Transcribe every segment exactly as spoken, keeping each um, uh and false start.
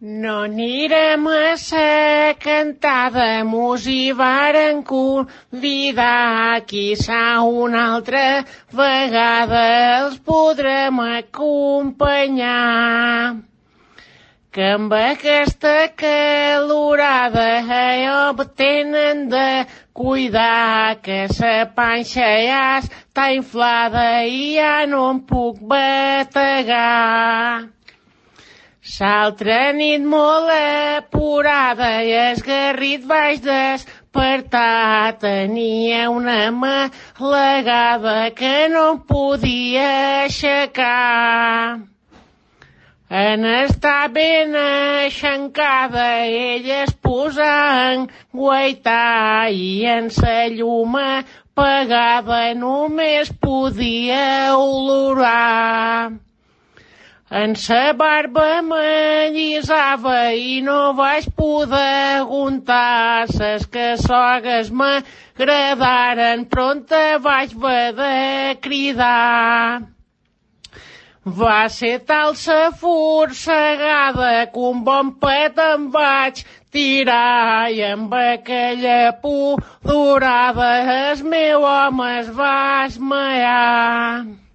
No anirem a sa cantada, mos hi varen convidar, quizà una altra vegada els podrem acompanyar. Que amb aquesta calorada allò tenen de cuidar, que sa panxa ja està inflada i ja no em puc bategar. S'altra nit molt apurada i esgarrit vaig despertar, tenia una malegada que no em podia aixecar. En estar ben aixencada ella es posa a enguaitar i en sa llum apagada només podia olorar. En sa barba m'allisava i no vaig poder aguantar, ses cassogues m'agradaren, prompte vaig haver de cridar. Va ser tal sa forcegada que un bon pet em vaig tirar i amb aquella pudorada el meu home es va esmaiar.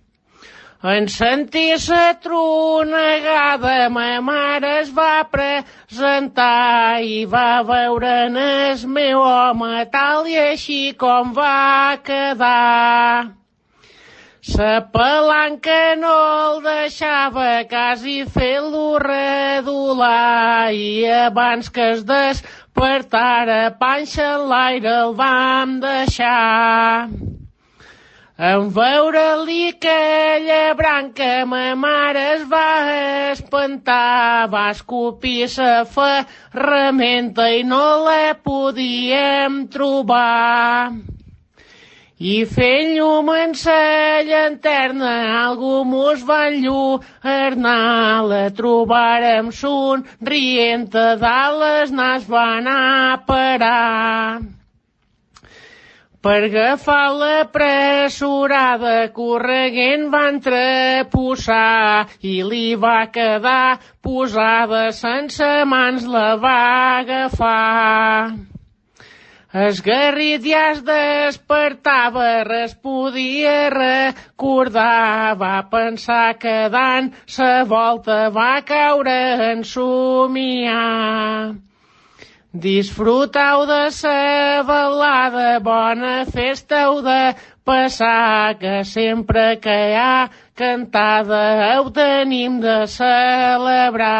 En sentir sa tronegada ma mare es va presentar i va veure en el meu home tal i així com va quedar. Sa palanca no el deixava quasi fer-lo redolar i abans que es despertara panxa en l'aire el vam deixar. En veure-li aquella branca ma mare es va espantar, va escopir sa ferramenta i no la podíem trobar. I fent llum en sa llanterna algú mos va enlluernar, la trobarem somrient a dalt el nas va anar a parar. Per agafar-la apressurada, correguent va entreposar i li va quedar posada, sense mans la va agafar. Esgarrit ja es despertava, res podia recordar, va pensar que dant sa volta va caure en somiar. Disfrutau de sa balada, bona festa heu de passar, que sempre que hi ha cantada heu tenim de celebrar.